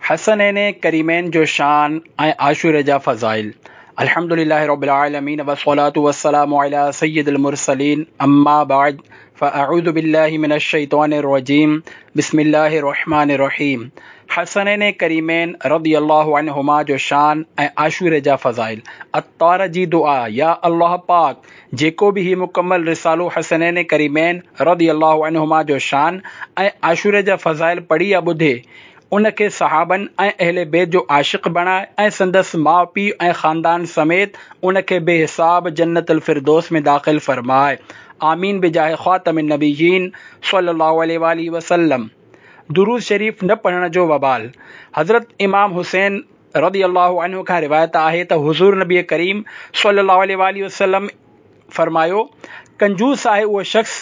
حسنين ڪريمين جو شان ۽ عاشوري جا فضائل الحمد لله رب العالمين والصلاة والسلام على سيد المرسلين اما بعد فاعوذ بالله من الشيطان الرجيم بسم الله الرحمن الرحيم حسنين ڪريمين رضي الله عنهما جو شان ۽ عاشوري جا فضائل عطار جي دعا يا الله پاڪ جيڪو به هي مڪمل رسالو حسنين ڪريمين رضي الله عنهما جو شان ۽ عاشوري جا فضائل پڙهي يا ٻڌي ان کي صحابن ۽ اهل بيت جو عاشق بڻاء ۽ سندس ماء پيء ۽ خاندان سميت ان کي بي حساب جنت الفردوس ۾ داخل فرماء آمين بجاه خاتم النبيين صلي الله عليه واٰله وسلم درود شريف نه پڙهڻ جو وبال حضرت امام حسين رضي الله عنه کان روايت آهي ته حضور نبي ڪريم صلي الله عليه واٰله وسلم فرمايو، ڪنجوس آهي اهو شخص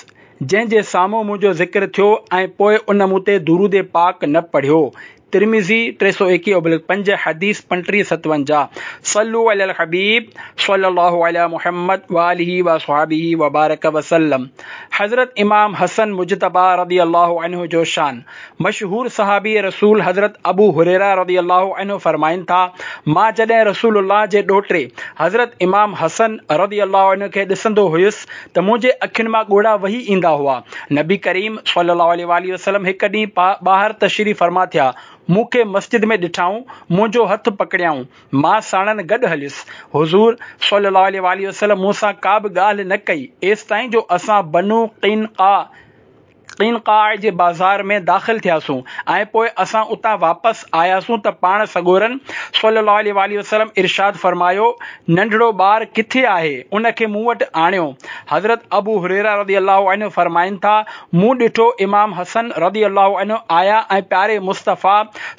جنهن جي سامهون منهنجو ذڪر ٿيو ۽ پوء ان مون تي درود پاڪ نه پڙهيو. ترمذي، 321/5، حديث 3557. صلو علی الحبيب صلي الله علي محمد واٰله واصحابه وبارڪ وسلم حضرت امام حسن مجتبيٰ رضي الله عنه جو شان مشهور صحابي رسول حضرت ابو هريره رضي الله عنه فرمائن ٿا، مان جڏهن رسول الله جي ڏوهٽي حضرت امام حسن رضي الله عنه کي ڏسندو هيس ته منهنجي اکين مان ڳوڙها وهي ايندا هئا. نبي ڪريم صلي الله عليه واٰله وسلم هڪ ڏينهن ٻاهر تشريف فرما ٿيا، مون کي مسجد ۾ ڏٺائون، منهنجو هٿ پڪڙيائون، مان ساڻن گڏ هليس. حضور صلي الله عليه واٰله وسلم مون سان ڪا به ڳالهه نه ڪئي، ايستائين جو اسان بنو قينقاع، قينقاع جي بازار ۾ داخل ٿياسون ۽ پوء اسان اتان واپس آياسون ته پاڻ سڳورن صلّي اللّٰه عليه واٰله وسلّم ارشاد فرمايو، ننڍڙو ٻار ڪٿي آهي؟ ان کي مون وٽ آڻيو. حضرت ابو هريره رضي الله عنه فرمائن ٿا، مون ڏٺو امام حسن رضي الله عنه آيا ۽ پياري مصطفيٰ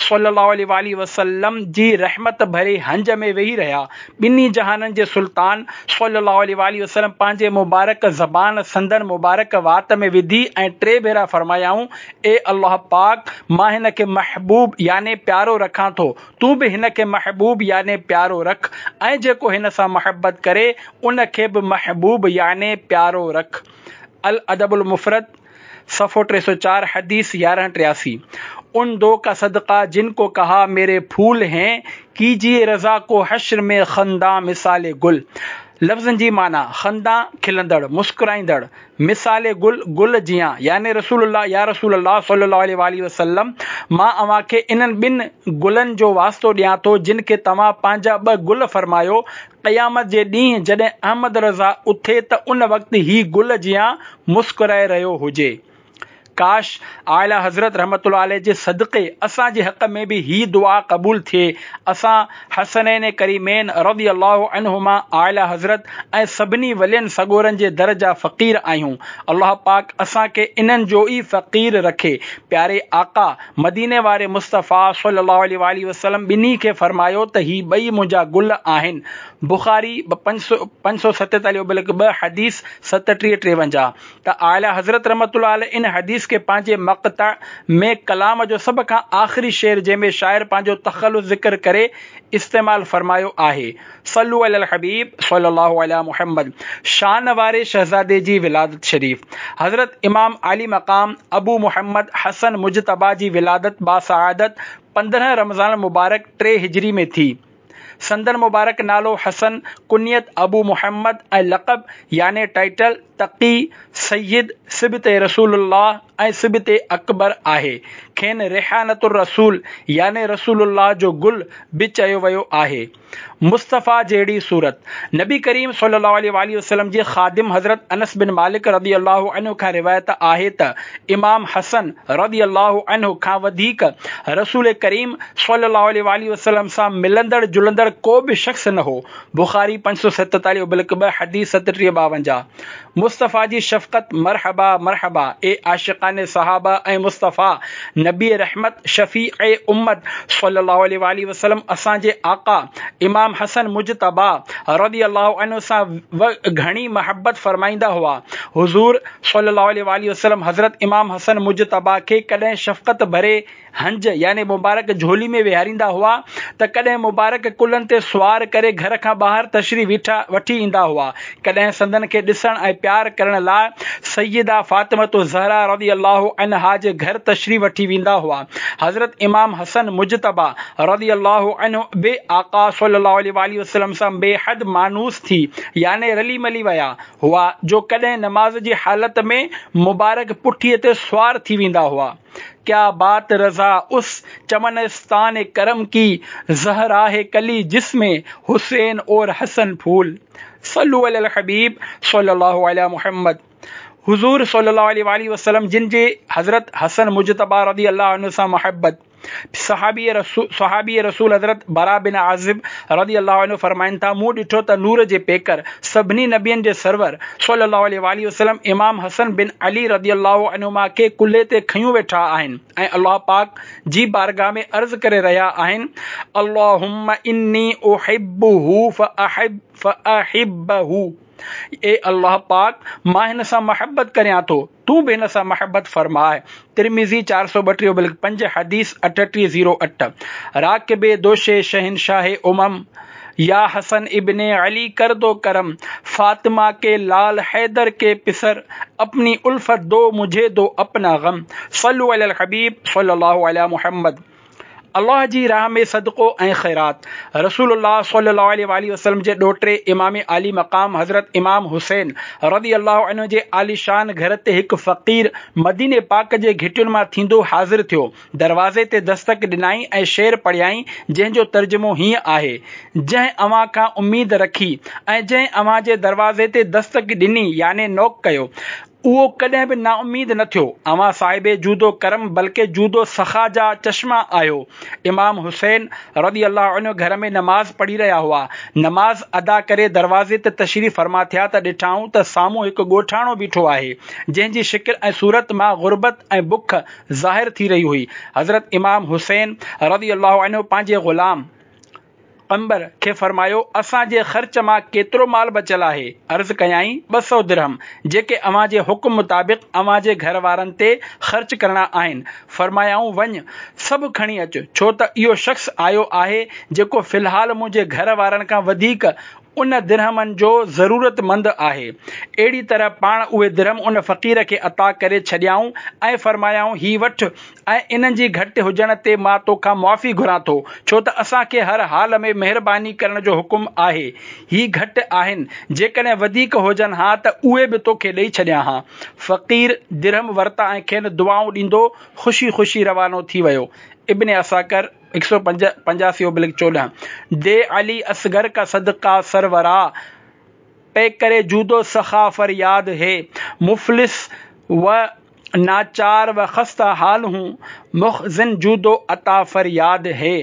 صلّي اللّٰه عليه واٰله وسلّم جي رحمت ڀري هنج ۾ ويهي رهيا ٻنهي جهانن جي سلطان صلّي اللّٰه عليه واٰله وسلّم پنهنجي مبارڪ زبان سندن مبارڪ وات ۾ وڌي ۽ ٽي ڀيرا فرمايائون، اي الله پاڪ! مان هن کي محبوب يعني پيارو رکان ٿو، تون به هن کي محبوب يعني پيارو رک ۽ جيڪو هن سان محبت ڪري ان کي به محبوب يعني پيارو رک. الادب المفرد، صفحو 304، حديث 1183، ان دو کا صدقه جن کو کها ميري ڦول هين، ڪيجيئي رضا کو حشر ۾ خندان مثال گل. لفظن جي معنيٰ، خندان، کلندڙ، مسڪرائيندڙ، مثال گل، گل جيان، يعني رسول الله يا رسول الله صلي الله عليه واٰله وسلم مان اوهان کي انهن ٻن گلن جو واسطو ڏيان ٿو جن کي توهان پنهنجا ٻه گل فرمايو، قيامت جي ڏينهن جڏهن احمد رضا اٿي ته ان وقت هي گل جيان مسڪرائي رهيو هجي. ڪاش! اعليٰ حضرت رحمة الله عليه جي صدقي اسان جي حق ۾ به هي دعا قبول ٿئي. اسان حسنين ڪريمين رضي الله عنهما اعليٰ حضرت ۽ سڀني ولين سڳورن جي در جا فقير آهيون. الله پاڪ اسان کي انهن جو ئي فقير رکي. پياري آقا، مديني واري مصطفيٰ صلّي اللّٰه عليه واٰله وسلّم ٻنهي کي فرمايو ته هي ٻئي منهنجا گل آهن. بخاري، 547/2 حديث 37 53، ته اعليٰ حضرت رحمة الله عليه ان حديث کي پنهنجي مقطع ۾ ڪلام جو سڀ کان آخري شعر جنهن ۾ شاعر پنهنجو تخلص ذڪر ڪري استعمال فرمايو آهي. صلو علی الحبيب صلي الله علي محمد شان واري شهزادي جي ولادت شريف حضرت امام عالي مقام ابو محمد حسن مجتبيٰ جي ولادت باسعادت 15 رمضان المبارڪ 3 هجري ۾ ٿي. سندن مبارڪ نالو حسن، ڪنيت ابو محمد ۽ لقب يعني ٽائيٽل تقي، سيد، سبط رسول الله ۽ سبط اڪبر آهي. کين ريحانة الرسول يعني رسول الله جو گل به چيو ويو آهي. مصطفيٰ جهڙي صورت. نبي ڪريم صلي الله عليه واٰله وسلم جي خادم حضرت انس بن مالڪ رضي الله عنه کان روايت آهي ته امام حسن رضي الله عنه کان وڌيڪ رسول ڪريم صلي الله عليه واٰله وسلم سان ملندڙ جلندڙ ڪو به شخص نه هو. بخاري 547 ابلڪ 2 حديث 37 52. مصطفيٰ جي شفقت مرحبا مرحبا اي عاشقان صحابه ۽ مصطفيٰ نبي رحمت شفيع امت صلي الله عليه واٰله وسلم اسان جي آقا امام حسن مجتبيٰ رضي الله عنه سان گهڻي محبت فرمائيندا هئا حضور صلي الله عليه واٰله وسلم حضرت امام حسن مجتبيٰ کي ڪڏهن شفقت ڀري هنج يعني مبارڪ جهولي ۾ ويهاريندا هئا ته ڪڏهن مبارڪ ڪلهن تي سوار ڪري گهر کان ٻاهر تشريف وٺي ايندا هئا. ڪڏهن سندن کي ڏسڻ ۽ پيار ڪرڻ لاء سيده فاطمة الزهرا رضي الله عنها جي گهر تشريف وٺي ويندا هئا. حضرت امام حسن مجتبيٰ رضي الله عنه به آقا صلي الله عليه واٰله وسلم سان بي حد مانوس ٿي يعني رلي ملي ويا هئا جو ڪڏهن نماز جي حالت ۾ مبارڪ پٺيء تي سوار ٿي ويندا هئا. ڪيا بات رضا اس چمنستان ڪرم ڪي زهرا هي ڪلي جس ۾ حسين اور حسن ڦول صلو علي الحبيب صلي الله علي محمد حضور صلي الله عليه واٰله وسلم جن جي حضرت حسن مجتبيٰ رضي الله عنه سان محبت صحابي رسول صحابي رسول حضرت براء بن عازب رضي الله عنه فرمائن ٿا مون ڏٺو ته نور جي پيڪر سڀني نبين جي سرور صلي الله عليه واٰله وسلم امام حسن بن علي رضي الله عنهما کي ڪلهي تي کنيون ويٺا آهن ۽ الله پاڪ جي بارگاھ ۾ عرض ڪري رهيا آهن اللهم اني احبه فاحب فاحبه اي الله پاڪ مان هن سان محبت ڪريان ٿو تون به هن سان محبت فرماء ترمذي 432 بلڪ 5 حديث 3808 راڪب دوش شهنشاه امم يا حسن ابن علي ڪر دو ڪرم فاطمه ڪي لال حيدر ڪي پسر اپني الفت دو مجهي دو اپنا غم صلو علي الحبيب صلي الله علي محمد الله جي راهه ۾ صدقو ۽ خيرات رسول الله صلي الله عليه واٰله وسلم جي ڏوهٽي امام عالي مقام حضرت امام حسين رضي الله عنه جي عاليشان گهر تي هڪ فقير مديني پاڪ جي گهٽين مان ٿيندو حاضر ٿيو. دروازي تي دستڪ ڏنائين ۽ شعر پڙهيائين جنهن جو ترجمو هيئن آهي، جنهن اوهان کان اميد رکي ۽ جنهن اوهان جي دروازي تي دستڪ ڏني يعني نوڪ ڪيو، اهو ڪڏهن به نااميد نه ٿيو. اوهان صاحب جود و ڪرم بلڪه جود و سخا جا چشما آهيو. امام حسين رضي الله عنه گهر ۾ نماز پڙهي رهيا هئا. نماز ادا ڪري دروازي تي تشريف فرما ٿيا ته ڏٺائون ته سامهون هڪ ڳوٺاڻو بيٺو آهي، جنهن جي شڪل ۽ صورت مان غربت ۽ بک ظاهر ٿي رهي هئي. حضرت امام حسين رضي الله عنه پنهنجي غلام. قنبر کي فرمايو، اسان جي خرچ مان ڪيترو مال بچيل آهي؟ عرض ڪيائين، 200 درهم، جيڪي اوهان جي حڪم مطابق اوهان جي گهر وارن تي خرچ ڪرڻا آهن. فرمايائون، وڃ، سڀ کڻي اچ، ڇو ته اهو شخص آيو آهي، جيڪو في الحال منهنجي گهر وارن کان وڌيڪ ان درهمن جو ضرورت مند آهي. اهڙي طرح پاڻ اهي درهم ان فقير کي عطا ڪري ڇڏيائون ۽ فرمايائون، هي وٺ ۽ انهن جي گهٽ هجڻ تي مان توکان معافي گهران ٿو، ڇو ته اسان کي هر حال ۾ مهرباني ڪرڻ جو حڪم آهي. هي گهٽ آهن، جيڪڏهن وڌيڪ هجن ها ته اهي به توکي ڏئي ڇڏيان ها. فقير درهم ورتا ۽ کين دعائون ڏيندو خوشي خوشي روانو ٿي ويو. ابن عساڪر. 185/14 دي علي اصغر کا صدقه سرورا پيڪر جود و سخا فرياد هي مفلس و ناچار و خسته حال هون مخزن جود و عطا فرياد هي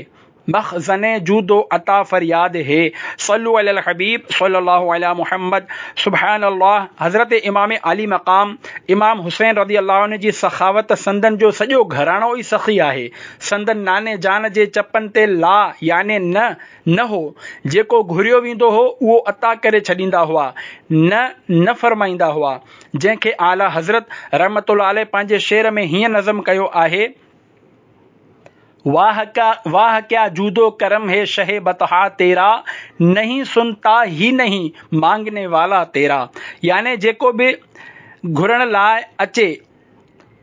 مخزن جود و عطا فرياد هي صلو علي الحبيب صلي الله علي محمد سبحان الله حضرت امام عالي مقام امام حسين رضي الله عنه جي سخاوت سندن جو سڄو گهراڻو ئي سخي آهي سندن ناني جان جي چپن تي لا يعني نه نه هو، جيڪو گهريو ويندو هو اهو عطا ڪري ڇڏيندا هئا، نه نه فرمائيندا هئا، جنهن کي اعليٰ حضرت رحمة الله عليه پنهنجي شعر ۾ هيئن نظم ڪيو آهي، واهه ڪا واهه ڪيا جود و ڪرم هي شهه بطحا تيرا، نهين سنتا هي نهين مانگني والا تيرا يعني جيڪو به گهرڻ لاء اچي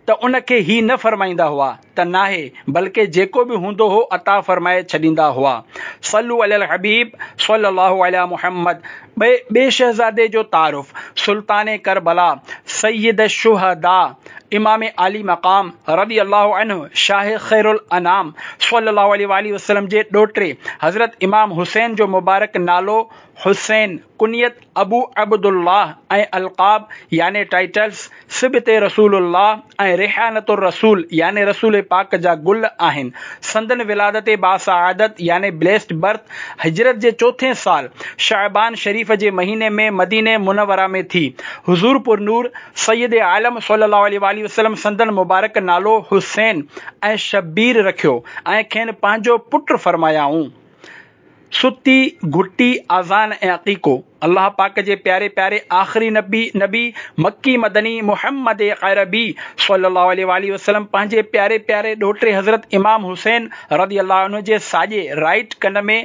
ته ان کي هي نه فرمائيندا هئا ته ناهي بلڪه جيڪو به هوندو هو عطا فرمائي ڇڏيندا هئا. صلو علي الحبيب صلي الله علي محمد ٻئي ٻئي شهزادي جو تعارف، سلطان ڪربلا، سيد الشهداء، امام عالي مقام رضي الله عنه شاهه خير الانام صلي الله عليه واٰله وسلم جي ڏوهٽي حضرت امام حسين جو مبارڪ نالو حسين، ڪنيت ابو عبدالله ۽ القاب يعني ٽائيٽلز سبط رسول الله ۽ ريحانة الرسول يعني رسول پاڪ جا گل آهن. سندن ولادت باسعادت يعني Blessed Birth هجرت جي چوٿين سال شعبان شريف جي مهيني ۾ مديني منوره ۾ ٿي. حضور پرنور سيد عالم صلي الله عليه واٰله وسلم سندن مبارڪ نالو حسين ۽ شبير رکيو ۽ کين پنهنجو پٽ فرمايائون. ستي، گهٽي، آذان ۽ عقيقو، الله پاڪ جي پياري پياري آخري نبي نبي مڪي مدني محمد عربي صلي الله عليه واٰله وسلم پنهنجي پياري پياري ڏوهٽي حضرت امام حسين رضي الله عنه جي ساڄي، Right، ڪن ۾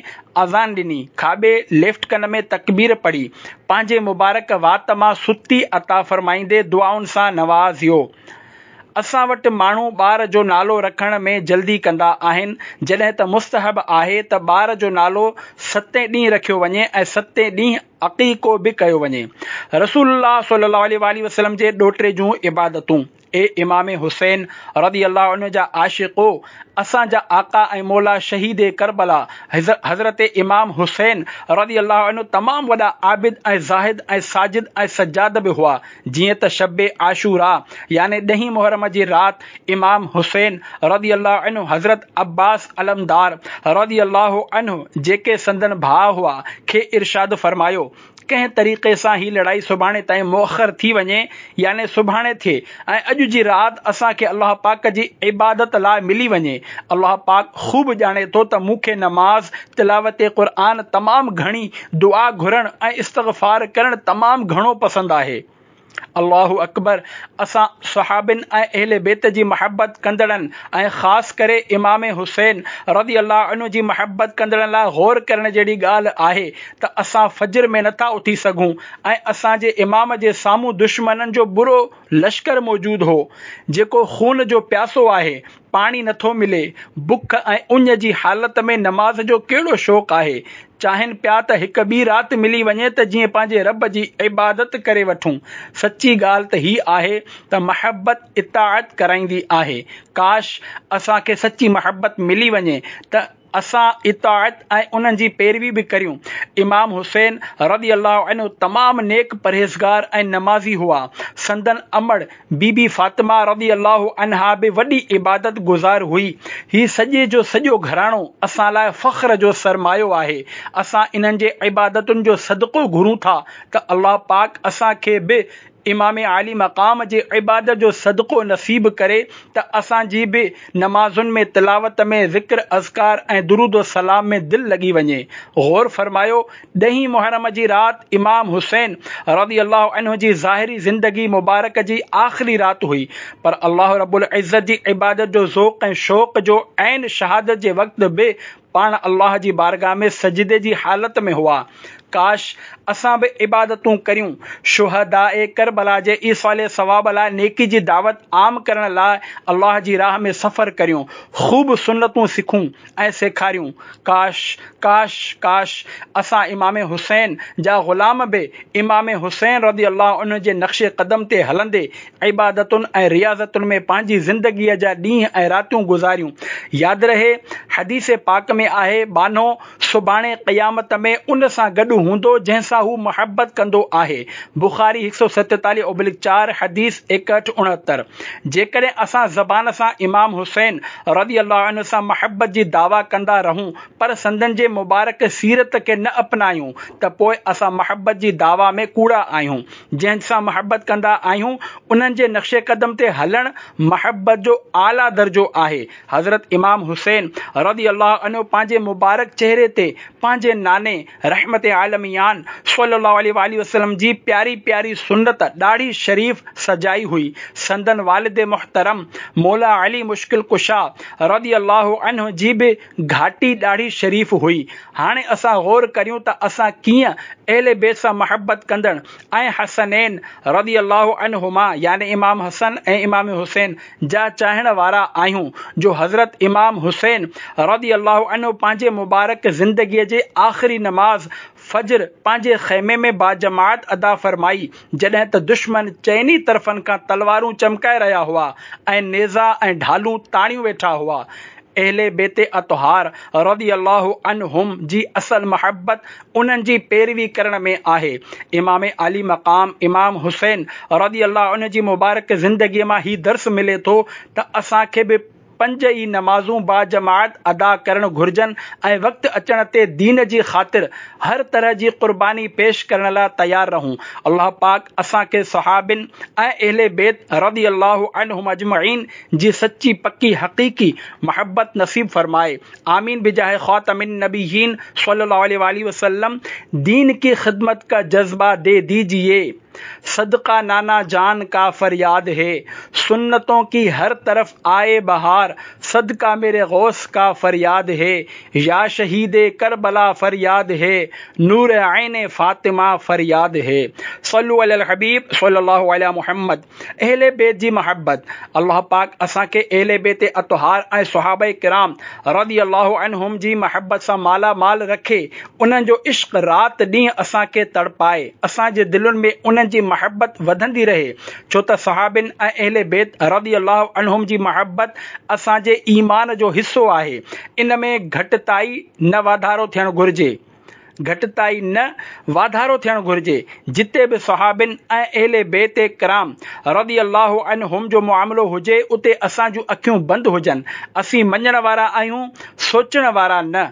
اذان ڏني، کاٻي، Left، ڪن ۾ تڪبير پڙهي، پنهنجي مبارڪ وات مان ستي عطا فرمائيندي دعائن سان نوازيو. اسان وٽ ماڻهو ٻار جو نالو رکڻ ۾ جلدي ڪندا آهن، جڏهن ته مستحب آهي ته ٻار جو نالو ستين ڏينهن رکيو وڃي ۽ ستين ڏينهن عقيقو به ڪيو وڃي. رسول الله صلي الله عليه واٰله وسلم جي ڏوهٽي جون عبادتون، اي امام حسين رضي الله عنه جا عاشقو! اسان جا آقا ۽ مولا شهيد ڪربلا حضرت امام حسين رضي الله عنه تمام وڏا عابد ۽ زاهد ۽ ساجد ۽ سجاد به هئا، جيئن ته شب عاشوراء يعني ڏهين محرم جي رات امام حسين رضي الله عنه حضرت عباس علمدار رضي الله عنه جيڪي سندن ڀاء هئا کي ارشاد فرمايو ڪنهن طريقي سان هي لڙائي سڀاڻي تائين مؤخر ٿي وڃي يعني سڀاڻي ٿئي ۽ اڄ جي رات اسان کي الله پاڪ جي عبادت لاء ملي وڃي. الله پاڪ خوب ڄاڻي ٿو ته مون کي نماز، تلاوت قرآن تمام گهڻي، دعا گهرڻ ۽ استغفار ڪرڻ تمام گهڻو پسند آهي. الله اڪبر اسان صحابين ۽ اهل بيت جي محبت ڪندڙن ۽ خاص ڪري امام حسين رضي الله عنه جي محبت ڪندڙن لاء غور ڪرڻ جهڙي ڳالهه آهي ته اسان فجر ۾ نٿا اٿي سگهون ۽ اسان جي امام جي سامهون دشمنن جو برو لشڪر موجود هو جيڪو خون جو پياسو آهي پاڻي نٿو ملي، بک ۽ اڃ جي حالت ۾ نماز جو ڪهڙو شوق آهي؟ چاهين پيا ته هڪ ٻي رات ملي وڃي ته جيئن پنهنجي رب جي عبادت ڪري وٺون. سچي ڳالهه ته هي آهي ته محبت اطاعت ڪرائيندي آهي. ڪاش! اسان کي سچي محبت ملي وڃي ته اسان اطاعت ۽ انهن جي پيروي به ڪريون. امام حسين رضي الله عنه تمام نيڪ پرهيزگار ۽ نمازي هئا. سندن امڙ بي بي فاطمه رضي الله عنها به وڏي عبادت گذار هئي. هي سڄي جو سڄو گهراڻو اسان لاء فخر جو سرمايو آهي. اسان انهن جي عبادتن جو صدقو گهرون ٿا ته الله پاڪ اسان کي به امام عالي مقام جي عبادت جو صدقو نصيب ڪري ته اسان جي به نمازن ۾ تلاوت ۾ ذڪر اذڪار ۽ درود و سلام ۾ دل لڳي وڃي. غور فرمايو ڏهين محرم جي رات امام حسين رضي الله عنه جي ظاهري زندگي مبارڪ جي آخري رات هئي پر الله رب العزت جي عبادت جو ذوق ۽ شوق جو عين شهادت جي وقت به پاڻ الله جي بارگاهه ۾ سجدي جي حالت ۾ هئا. ڪاش! اسان به عبادتون ڪريون. شهداء ڪربلا جي ايصال ثواب لاء نيڪي جي دعوت عام ڪرڻ لاء الله جي راهه ۾ سفر ڪريون. خوب سنتون سکون ۽ سيکاريون. ڪاش! ڪاش! ڪاش! اسان امام حسين جا غلام به امام حسين رضي الله عنه جي نقش قدم تي هلندي عبادتن ۽ رياضتن ۾ پنهنجي زندگيء جا ڏينهن ۽ راتيون گذاريون. ياد رهي، حديث پاڪ ۾ آهي، ٻانهو سڀاڻي قيامت ۾ ان سان گڏ هوندو جنهن سان هو محبت ڪندو آهي. بخاري هڪ سؤ ستيتاليهه اوبلڪ چار، حديث ايڪهٺ اڻهتر. جيڪڏهن اسان زبان سان امام حسين رضي الله عنه سان محبت جي دعويٰ ڪندا رهون پر سندن جي مبارڪ سيرت کي نه اپنايون ته پوء اسان محبت جي دعويٰ ۾ ڪوڙا آهيون. جنهن سان محبت ڪندا آهيون انهن جي نقش قدم تي هلڻ محبت جو اعليٰ درجو آهي. حضرت امام حسين رضي الله عنه پنهنجي مبارڪ چهري تي پنهنجي ناني رحمت عالميان صلي الله عليه واٰله وسلم جي پياري پياري سنت ڏاڙهي شريف سجائي هئي. سندن والد محترم مولا علي مشڪل ڪشا رضي الله عنه جي به گهاٽي ڏاڙهي شريف هئي. هاڻي اسان غور ڪريون ته اسان ڪيئن اهل بيت سان محبت ڪندڙ ۽ حسنين رضي الله عنهما يعني امام حسن ۽ امام حسين جا چاهڻ وارا آهيون جو حضرت امام حسين رضي الله عنه پنهنجي مبارڪ زندگيء جي آخري نماز فجر پنهنجي خيمي ۾ باجماعت ادا فرمائي جڏهن ته دشمن چئني طرفن کان تلوارون چمڪائي رهيا هئا ۽ نيزا ۽ ڍالون تاڻيون ويٺا هئا. اهل بيت اطهار رضي الله عنهم جي اصل محبت انهن جي پيروي ڪرڻ ۾ آهي. امام عالي مقام امام حسين رضي الله عنه جي مبارڪ زندگيء مان هي درس ملي ٿو ته اسان کي به پنج ئي نمازون باجماعت ادا ڪرڻ گهرجن ۽ وقت اچڻ تي دين جي خاطر هر طرح جي قرباني پيش ڪرڻ لاء تيار رهون. الله پاڪ اسان کي صحابين ۽ اهل بيت رضي الله عنهم اجمعين جي سچي پڪي حقيقي محبت نصيب فرمائي. آمين بجاه خاتم النبيين صلي الله عليه واله وسلم دين ڪي خدمت ڪا جذبه the ديجئي صدقه نانا جان ڪا فرياد هي سنتون ڪي هر طرف آئي بهار صدقه ميري غوث ڪا فرياد هي يا شهيد ڪربلا فرياد هي نور عين فاطمه فرياد هي صلو علي الحبيب صلي الله علي محمد اهل بيت جي محبت، الله پاڪ اسان کي اهل بيت اطهار ۽ صحابه ڪرام رضي الله عنهم جي محبت سان مالا مال رکي، انهن جو عشق رات ڏينهن اسان کي تڙپائي، اسان جي دلين ۾ انهن جي محبت وڌندي رهي، ڇو ته صحابين ۽ اهل بيت رضي الله عنهم جي محبت اسان جي ايمان جو حصو آهي، ان ۾ گهٽتائي نه واڌارو ٿيڻ گهرجي. گهٽتائي نه واڌارو ٿيڻ گهرجي، جتي به صحابين ۽ اهل بيت ڪرام رضي الله عنهم جو معاملو هجي اتي اسان جون اکيون بند هجن، اسين مڃڻ وارا آهيون سوچڻ وارا نه،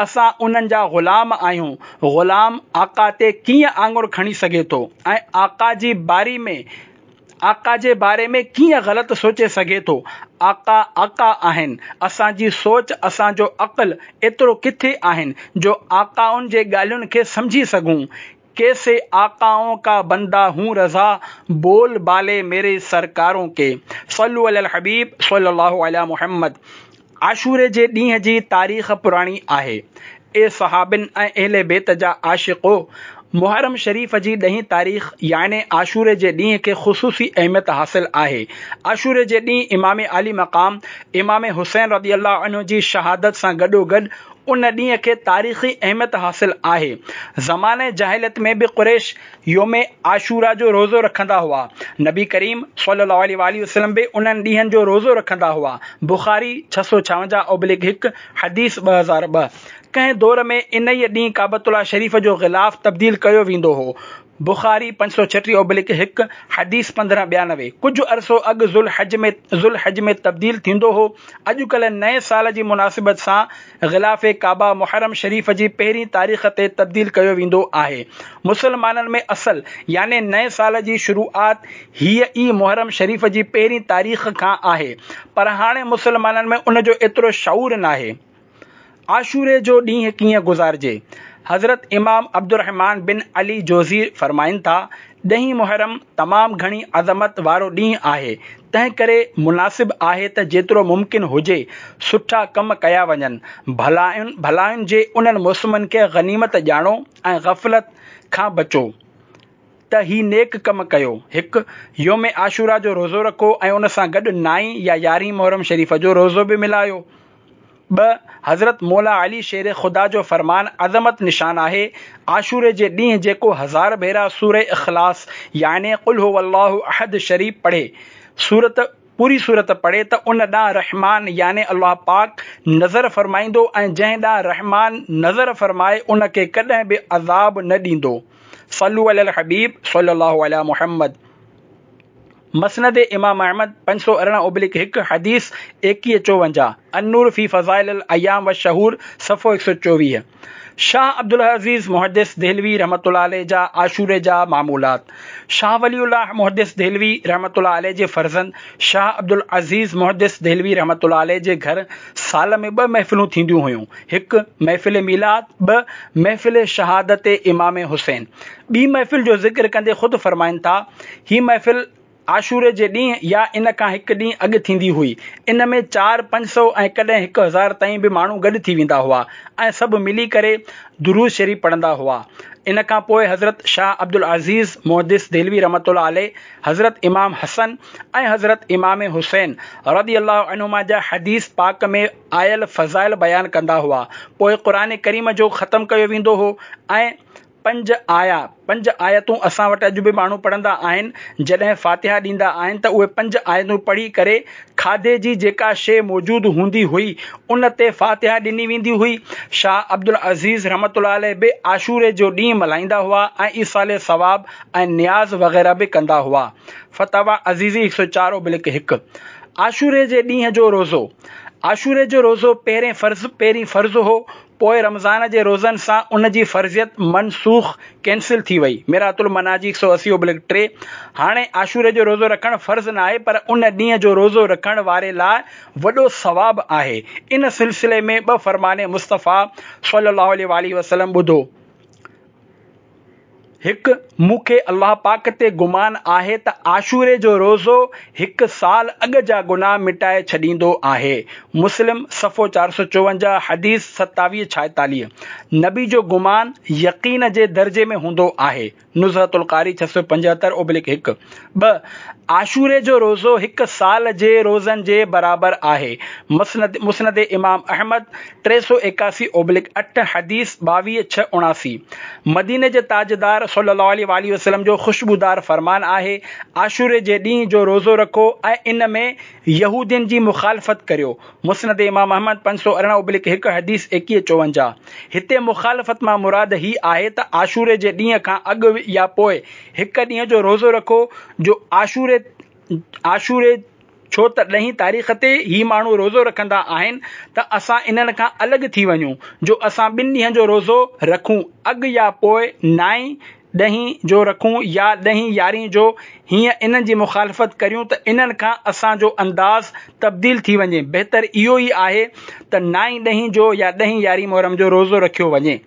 اسان انهن جا غلام آهيون، غلام آقا تي ڪيئن آڱر کڻي سگهي ٿو ۽ آقا جي باري ۾ آقا جي باري ۾ ڪيئن غلط سوچي سگهي ٿو؟ آقا آقا آهن. اسان جي سوچ اسان جو عقل ايترو ڪٿي آهن جو آقائن جي ڳالهين کي سمجهي سگهون. ڪيسي آقائون ڪا بندا هون رضا بول بالي ميري سرڪارون ڪي. صلو علي الحبيب صلي الله علي محمد. عاشوري جي ڏينهن جي تاريخ پراڻي آهي. اي صحابين ۽ اهل بيت جا عاشقو! محرم شريف جي ڏهين تاريخ يعني عاشوري جي ڏينهن کي خصوصي اهميت حاصل آهي. عاشوري جي ڏينهن امام عالي مقام امام حسين رضي الله عنه جي شهادت سان گڏوگڏ ان ڏينهن کي تاريخي اهميت حاصل آهي. زمانه جاهليت ۾ به قريش يوم عاشورا جو روزو رکندا هئا. نبي ڪريم صلي الله عليه واٰله وسلم به انهن ڏينهن جو روزو رکندا هئا. بخاري، 656/1، حديث 2002. ڪنهن دور ۾ انهيء ڏينهن ڪعبة الله شريف جو غلاف تبديل ڪيو ويندو هو. بخاري، 536/1، حديث 1592. ڪجهه عرصو اڳ ذوالحج ۾ ذوالحج ۾ تبديل ٿيندو هو. اڄڪلهه نئين سال جي مناسبت سان غلاف ڪعبه محرم شريف جي پهرين تاريخ تي تبديل ڪيو ويندو آهي. مسلمانن ۾ اصل يعني نئين سال جي شروعات هيء ئي محرم شريف جي پهرين تاريخ کان آهي، پر هاڻي مسلمانن ۾ ان جو ايترو شعور ناهي. عاشوري جو ڏينهن ڪيئن گذارجي؟ حضرت امام عبدالرحمان بن علي جوزي فرمائن ٿا، ڏهين محرم تمام گهڻي عظمت وارو ڏينهن آهي، تنهن ڪري مناسب آهي ته جيترو ممڪن هجي سٺا ڪم ڪيا وڃن. ڀلائين ڀلائين جي انهن موسمن کي غنيمت ڄاڻو ۽ غفلت کان بچو ته هي نيڪ ڪم ڪيو. هڪ. يوم عاشورا جو روزو رکو ۽ ان سان گڏ نائين يا يارهين محرم شريف جو روزو به ملايو. ٻه، حضرت مولا علي شير خدا جو فرمان عظمت نشان آهي، عاشوري جي ڏينهن جيڪو هزار ڀيرا سوره اخلاص يعني قل هو الله احد شريف پڙهي، سورت پوري سورت پڙهي ته ان ڏانهن رحمان يعني الله پاڪ نظر فرمائيندو ۽ جنهن ڏانهن رحمان نظر فرمائي ان کي ڪڏهن به عذاب نه ڏيندو. صلو علي الحبيب صلي الله علي محمد. مسند امام احمد، 518/1، حديث 2154، النور في فضائل الايام والشهور، صفحو 124. شاهه عبدالعزيز محدث دهلوي رحمة الله عليه جا عاشوري جا معمولات. شاهه ولي الله محدث دهلوي رحمة الله عليه جي فرزند شاهه عبدالعزيز محدث دهلوي رحمة الله عليه جي گهر سال ۾ ٻه محفلون ٿينديون هيون، هڪ، محفل ميلاد، ٻه، محفل شهادت امام حسين. ٻي محفل جو ذڪر ڪندي خود فرمائن ٿا، هي محفل عاشوري جي ڏينهن يا ان کان هڪ ڏينهن اڳ ٿيندي هئي. ان ۾ چار پنج سئو ۽ ڪڏهن هڪ هزار تائين به ماڻهو گڏ ٿي ويندا هئا ۽ سڀ ملي ڪري درود شريف پڙهندا هئا. ان کان پوء حضرت شاهه عبدالعزيز محدث دهلوي رحمة الله عليه حضرت امام حسن ۽ حضرت امام حسين رضي الله عنهما جا حديث پاڪ ۾ آيل فضائل بيان ڪندا هئا. پوء قرآن ڪريم جو ختم ڪيو ويندو هو ۽ پنج آيا، پنج آيتون اسان وٽ اڄ به ماڻهو پڙهندا آهن، جڏهن فاتحه ڏيندا آهن ته اهي پنج آيتون پڙهي ڪري کاڌي جي جيڪا شيء موجود هوندي هئي ان تي فاتحه ڏني ويندي هئي. شاهه عبدالعزيز رحمة الله عليه به عاشوري جو ڏينهن ملهائيندا هئا ۽ ايصال ثواب ۽ نياز وغيره به ڪندا هئا. فتاويٰ عزيزي 104 اوبلڪ 1. عاشوري جي ڏينهن جو روزو، عاشوري جو روزو پهرين فرض پهرين فرض هو، پوء رمضان جي روزن سان ان جي فرضيت منسوخ، Cancel، ٿي وئي، مرآة المناجي 180/3، هاڻي عاشوري جو روزو رکڻ فرض ناهي پر ان ڏينهن جو روزو رکڻ واري لاء وڏو ثواب آهي، ان سلسلي ۾ ٻه فرمان مصطفيٰ صلي الله عليه واٰله وسلم ٻڌو. هڪ، مون کي الله پاڪ تي گمان آهي ته عاشوري جو روزو هڪ سال اڳ جا گناهه مٽائي ڇڏيندو آهي. مسلم، صفحو 454، حديث 2746. نبي جو گمان يقين جي درجي ۾ هوندو آهي. نزهة القاري 675/1. ٻه، عاشوري جو روزو هڪ سال جي روزن جي برابر آهي. مسند، مسند امام احمد، 381/8، حديث 22 6 79. مديني جي تاجدار صلّي الله عليه واٰله وسلّم جو خوشبودار فرمان آهي، عاشوري جي ڏينهن جو روزو رکو ۽ ان ۾ يهودين جي مخالفت ڪريو. مسند امام احمد، 518/1، حديث 21 54. هتي مخالفت مان مراد هي آهي ته عاشوري جي ڏينهن کان اڳ يا پوء هڪ ڏينهن جو روزو رکو جو عاشوري عاشوري ڇو ته ڏهين تاريخ تي هي ماڻهو روزو رکندا آهن ته اسان انهن کان الڳ ٿي وڃون جو اسان ٻن ڏينهن جو روزو رکون اڳ يا پوء نائين ڏهين جو رکون يا ڏهين يارهين جو هيئن انهن جي مخالفت ڪريون ته انهن کان اسان جو انداز تبديل ٿي وڃي بهتر اهو ئي آهي ته نائين ڏهين جو يا ڏهين يارهين محرم جو روزو رکيو وڃي.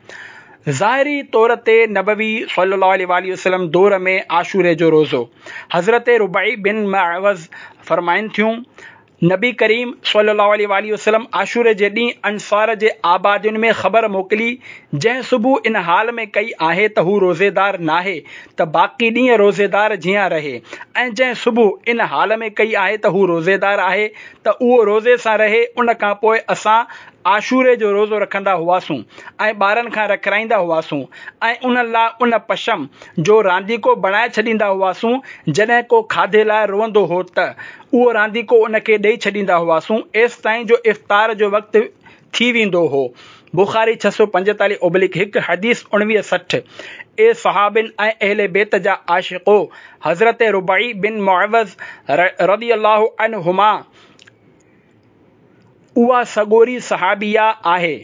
ظاهري طور تي نبوي صلي الله عليه واٰله وسلم دور ۾ عاشوري جو روزو. حضرت ربيع بن معوذ فرمائن ٿيون، نبي ڪريم صلي الله عليه واٰله وسلم عاشوري جي ڏينهن انصار جي آبادين ۾ خبر موڪلي، جنهن صبح ان حال ۾ ڪئي آهي ته هو روزيدار ناهي ته باقي ڏينهن روزيدار جيان رهي ۽ جنهن صبح ان حال ۾ ڪئي آهي ته هو روزيدار آهي ته اهو روزي سان رهي، ان کان پوء اسان عاشوري جو روزو رکندا هئاسون ۽ ٻارن کان رکرائيندا هئاسون ۽ انهن لاء ان پشم جو رانديڪو بڻائي ڇڏيندا هئاسون، جڏهن ڪو کاڌي لاء روئندو هو ته اهو رانديڪو ان کي ڏئي ڇڏيندا هئاسون ايستائين جو افطار جو وقت ٿي ويندو هو. بخاري 645/1 حديث 19 60 اي صحابين ۽ اهل بيت جا عاشقو! حضرت ربيع بن معوذ رضي الله عنهما اها سڳوري صحابيه آهي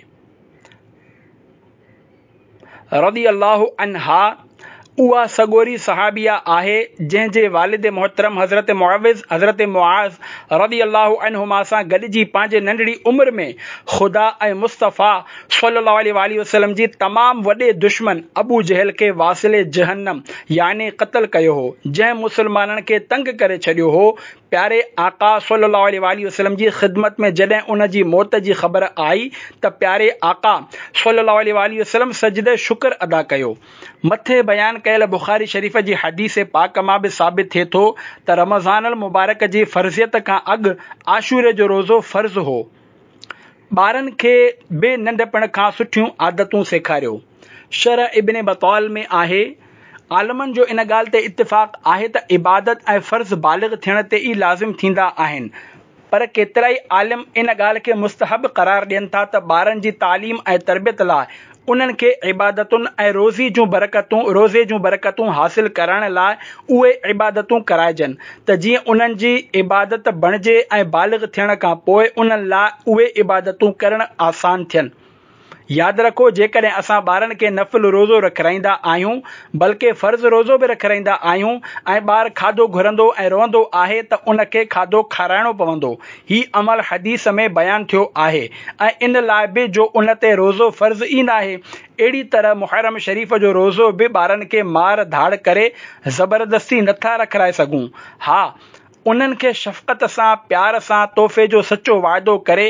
رضي الله عنها اها سڳوري صحابيه آهي جنهن جي والد محترم حضرت معوذ حضرت معاذ رضي الله عنهما سان گڏجي پنهنجي ننڍڙي عمر ۾ خدا ۽ مصطفيٰ صلي الله عليه واٰله وسلم جي تمام وڏي دشمن ابو جهل کي واصل جهنم يعني قتل ڪيو هو جنهن مسلمانن کي تنگ ڪري ڇڏيو هو پياري آقا صلّي الله عليه واٰله وسلّم جي خدمت ۾ جڏهن ان جي موت جي خبر آئي ته پياري آقا صلّي الله عليه واٰله وسلّم سجده شڪر ادا ڪيو. مٿي بيان ڪيل بخاري شريف جي حديث پاڪ مان به ثابت ٿئي ٿو ته رمضان المبارڪ جي فرضيت کان اڳ عاشوري جو روزو فرض هو. ٻارن کي به ننڍپڻ کان سٺيون عادتون سيکاريو. شرح ابن بطال ۾ آهي، عالمن جو ان ڳالهه تي اتفاق آهي ته عبادت ۽ فرض بالغ ٿيڻ تي ئي لازم ٿيندا آهن، پر ڪيترائي عالم ان ڳالهه کي مستحب قرار ڏين ٿا ته ٻارن جي تعليم ۽ تربيت لاء انهن کي عبادتن ۽ روزي جون برڪتون روزي جون برڪتون حاصل ڪرائڻ لاء اهي عبادتون ڪرائجن ته جيئن انهن جي عبادت بڻجي ۽ بالغ ٿيڻ کان پوء انهن لاء اهي عبادتون ڪرڻ آسان ٿين. ياد رکو جيڪڏهن اسان ٻارن کي نفل روزو رکرائيندا آهيون بلڪه فرض روزو به رکرائيندا آهيون ۽ ٻار کاڌو گهرندو ۽ روئندو آهي ته ان کي کاڌو کارائڻو پوندو هي عمل حديث ۾ بيان ٿيو آهي ۽ ان لاء به جو ان تي روزو فرض ئي ناهي اهڙي طرح محرم شريف جو روزو به ٻارن کي مار ڌاڙ ڪري زبردستي نٿا رکرائي سگهون ها انهن کي شفقت سان، پيار سان، تحفي جو سچو وعدو ڪري،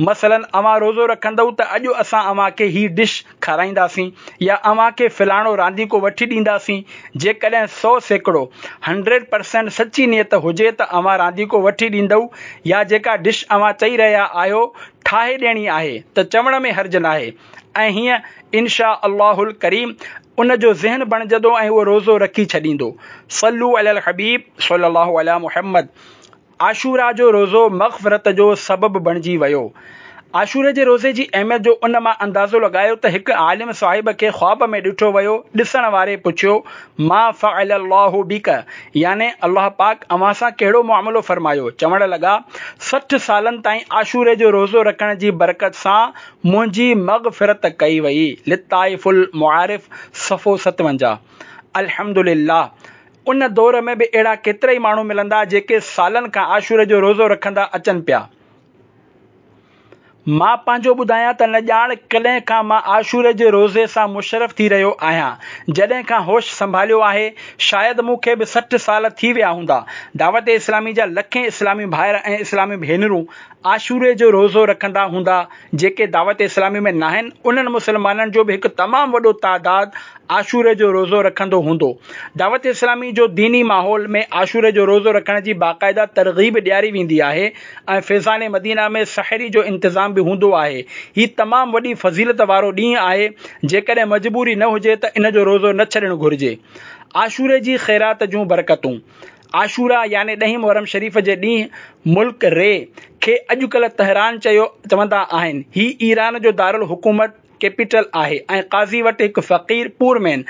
مثلاً اوهان روزو رکندؤ ته اڄ اسان اوهان کي هي ڊش کارائينداسين يا اوهان کي فلاڻو رانديڪو وٺي ڏينداسين، جيڪڏهن 100%، Hundred Percent، سچي نيت هجي ته اوهان رانديڪو وٺي ڏيندؤ يا جيڪا ڊش اوهان چئي رهيا آهيو ٺاهي ڏيڻي آهي ته چوڻ ۾ حرج ناهي ۽ هيئن ان شاء الله الڪريم ان جو ذهن بڻجندو ۽ اهو روزو رکي ڇڏيندو. صلو علي الحبيب صلي الله علي محمد عاشورا جو روزو مغفرت جو سبب بڻجي ويو. عاشوري جي روزي جي اهميت جو ان مان اندازو لڳايو ته هڪ عالم صاحب کي خواب ۾ ڏٺو ويو، ڏسڻ واري پڇيو، ما فعل الله بک يعني الله پاڪ اوهان سان ڪهڙو معاملو فرمايو؟ چوڻ لڳا، 60 سالن تائين عاشوري جو روزو رکڻ جي برڪت سان منهنجي مغفرت ڪئي وئي، لطائف المعارف صفحو 57. الحمدلله ان دور ۾ به اهڙا ڪيترائي ماڻهو ملندا جيڪي سالن کان عاشوري جو روزو رکندا اچن پيا. مان پنهنجو ٻڌايان ته نه ڄاڻ ڪڏهن کان مان عاشوري جي روزي سان مشرف ٿي رهيو آهيان. جڏهن کان هوش سنڀاليو آهي، شايد مون کي به 60 سال ٿي ويا هوندا. دعوت اسلامي جا لکين اسلامي ڀائر ۽ اسلامي ڀينرون عاشوري جو روزو رکندا هوندا. جيڪي دعوت اسلامي ۾ ناهن، انهن مسلمانن جو به هڪ تمام وڏو تعداد عاشوري جو روزو رکندو هوندو. دعوت اسلامي جو ديني ماحول ۾ عاشوري جو روزو رکڻ جي باقاعده ترغيب ڏياري ويندي آهي ۽ فيضان مدينه ۾ سحري جو انتظام به هوندو آهي. هي تمام وڏي فضيلت وارو ڏينهن آهي، جيڪڏهن مجبوري نه هجي ته ان جو روزو نه ڇڏڻ گهرجي. عاشوري جي خيرات جون برڪتون. عاشورا يعني ڏهين محرم شريف جي ڏينهن ملڪ ري کي اڄڪلهه تهران چيو چوندا آهن. هي ايران جو دارالحڪومت، Capital، آهي ۽ قاضي وٽ هڪ فقير، Poor Man،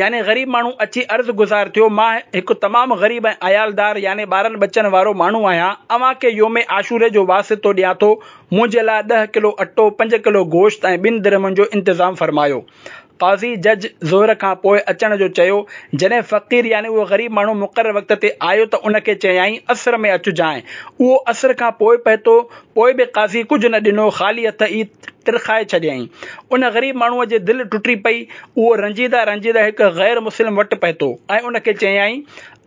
يعني غريب ماڻهو اچي عرض گذار ٿيو، مان هڪ تمام غريب ۽ عيالدار يعني ٻارن ٻچن وارو ماڻهو آهيان، اوهان کي يوم عاشوري جو واسطو ڏيان ٿو، منهنجي لاء ڏهه ڪلو اٽو، پنج ڪلو گوشت ۽ ٻن درهمن جو انتظام فرمايو. قاضي، جج، ظهر کان پوء اچڻ جو چيو. جڏهن فقير يعني اهو غريب ماڻهو مقرر وقت تي آيو ته ان کي چيائين، عصر ۾ اچجانء. اهو عصر کان پوء پهتو، پوء به قاضي ڪجهه نه ڏنو، خالي هٿ ئي ترخائي ڇڏيائين. ان غريب ماڻهوء جي دل ٽٽي پئي. اهو رنجيده رنجيده هڪ غير مسلم وٽ پهتو ۽ ان کي چيائين،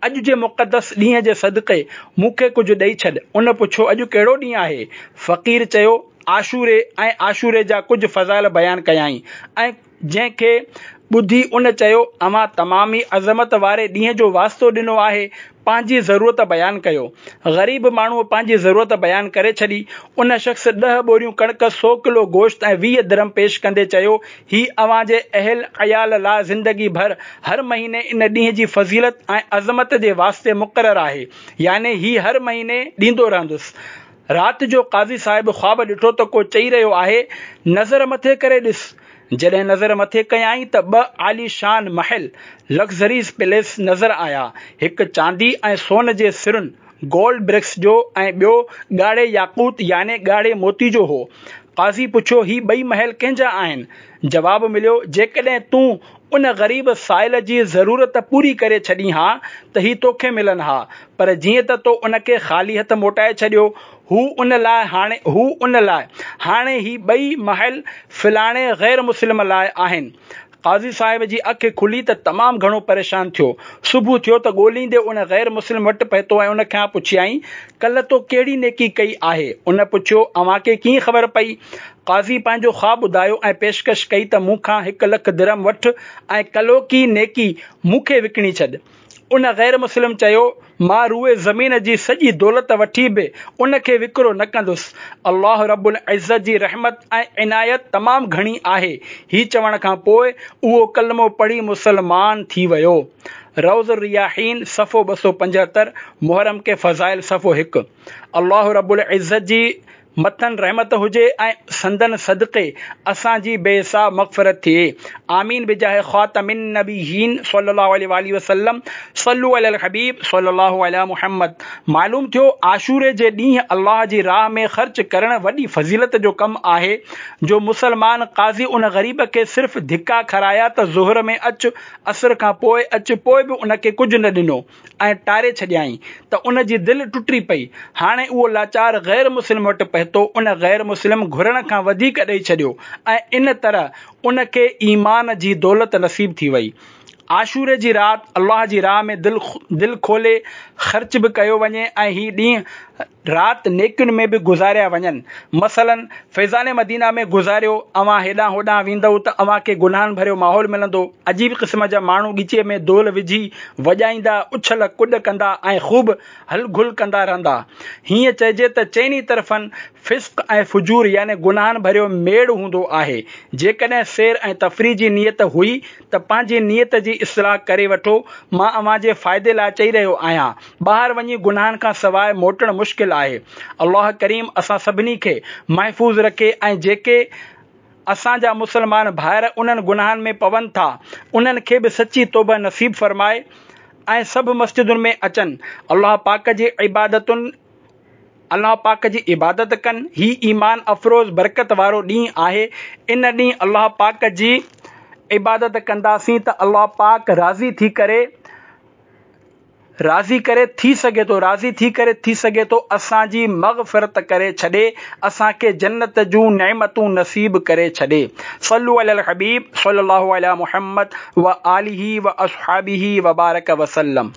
اڄ جي مقدس ڏينهن جي صدقي مون کي ڪجهه ڏئي ڇڏ. ان پڇيو، اڄ ڪهڙو ڏينهن آهي؟ فقير چيو، عاشوري ۽ عاشوري جا ڪجهه فضائل بيان ڪيائين ۽ جنهن کي ٻڌي ان چيو، اوهان تمام ئي عظمت واري ڏينهن جو واسطو ڏنو آهي، پنهنجي ضرورت بيان ڪيو. غريب ماڻهوء پنهنجي ضرورت بيان ڪري ڇڏي. ان شخص ڏهه ٻوريون ڪڻڪ، سو ڪلو گوشت ۽ 20 درهم پيش ڪندي چيو، هي اوهان جي اهل عيال لاء زندگي ڀر هر مهيني ان ڏينهن جي فضيلت ۽ عظمت جي واسطي مقرر آهي، يعني هي هر مهيني ڏيندو رهندس. رات جو قاضي صاحب خواب ڏٺو ته ڪو چئي رهيو آهي، نظر مٿي ڪري ڏس. جڏهن نظر مٿي ڪيائين ته ٻه عاليشان محل، Luxuries Palace، نظر آيا، هڪ چاندي ۽ سون جي سرن، Gold Bricks، جو ۽ ٻيو ڳاڙهي ياقوت يعني ڳاڙهي موتي جو هو. قاضي پڇيو، هي ٻئي محل ڪنهن جا آهن؟ جواب مليو، جيڪڏهن تون ان غريب سائل جي ضرورت پوري ڪري ڇڏين ها ته هي توکي ملن ها، پر جيئن ته تو ان کي خالي هٿ موٽائي ڇڏيو، هو ان لاء هاڻي هو ان لاء هاڻي هي ٻئي محل فلاڻي غير مسلم لاء آهن. قاضي صاحب جي اک کلي ته تمام گهڻو پريشان ٿيو. صبح ٿيو ته ڳوليندي ان غير مسلم وٽ پهتو ۽ ان کان پڇيائين، ڪلهه تو ڪهڙي نيڪي ڪئي آهي؟ ان پڇيو، اوهان کي ڪيئن خبر پئي؟ قاضي پنهنجو خواب ٻڌايو ۽ پيشڪش ڪئي ته مون کان هڪ لک درهم وٺ ۽ ڪلهوڪي نيڪي مون کي وڪڻي ڇڏ. ان غير مسلم چيو، مان روئي زمين جي سڄي دولت وٺي به ان کي وڪرو نه ڪندس. الله رب العزت جي رحمت ۽ عنايت تمام گهڻي آهي. هي چوڻ کان پوء اهو ڪلمو پڙهي مسلمان ٿي ويو. روض الرياحين صفحو 275، محرم ڪي فضائل صفحو 1. الله رب العزت جي مٿن رحمت هجي ۽ سندن صدقي اسان جي بي حساب مغفرت ٿئي آمين بجاه خاتم النبيين صلي الله عليه واله وسلم صلو علي الحبيب صلي الله علي محمد معلوم ٿيو عاشوري جي ڏينهن الله جي راهه ۾ خرچ ڪرڻ وڏي فضيلت جو ڪم آهي جو مسلمان قاضي ان غريب کي صرف ڌڪا کارايا ته ظهر ۾ اچ عصر کان پوء اچ پوء به ان کي ڪجهه نه ڏنو ۽ ٽاري ڇڏيائين ته ان جي دل ٽٽي پئي. هاڻي اهو لاچار غير مسلم وٽ پهتو، ان غير مسلم گهرڻ کان وڌيڪ ڏئي ڇڏيو ۽ ان طرح ان کي ايمان جي دولت نصيب ٿي وئي. عاشوري جي رات الله جي راهه ۾ دل دل کولي خرچ به ڪيو وڃي ۽ هي ڏينهن رات نيڪين ۾ به گذاريا وڃن. مثلاً فيضان مدينه ۾ گذاريو، اوهان هيڏانهن هوڏانهن ويندؤ ته اوهان کي گناهن ڀريو ماحول ملندو، عجيب قسم جا ماڻهو ڳچيء ۾ دهل وجهي وڄائيندا، اڇل ڪڏ ڪندا ۽ خوب هل گل ڪندا رهندا. هيئن چئجي ته چئني طرفن فسق ۽ فجور يعني گناهن ڀريو ميڙ هوندو آهي. جيڪڏهن سير ۽ تفريح جي نيت هئي ته پنهنجي نيت جي اصلاح ڪري وٺو. مان اوهان جي فائدي لاء چئي رهيو آهيان. ٻاهر وڃي گناهن کان سواء موٽڻ مشڪل آهي. الله ڪريم اسان سڀني کي محفوظ رکي ۽ جيڪي اسان جا مسلمان ڀائر انهن گناهن ۾ پون ٿا، انهن کي به سچي توبه نصيب فرمائي ۽ سڀ مسجدن ۾ اچن، الله پاڪ جي عبادتن الله پاڪ جي عبادت ڪن، هي ايمان افروز برڪت وارو ڏينهن آهي، ان ڏينهن الله پاڪ جي عبادت ڪنداسين ته الله پاڪ راضي ٿي ڪري راضي ڪري ٿي سگهي ٿو راضي ٿي ڪري ٿي سگهي ٿو اسان جي مغفرت ڪري ڇڏي اسان کي جنت جون نعمتون نصيب ڪري ڇڏي. صلو علي الحبيب صلي الله علي محمد وآله واصحابه وبارڪ وسلم.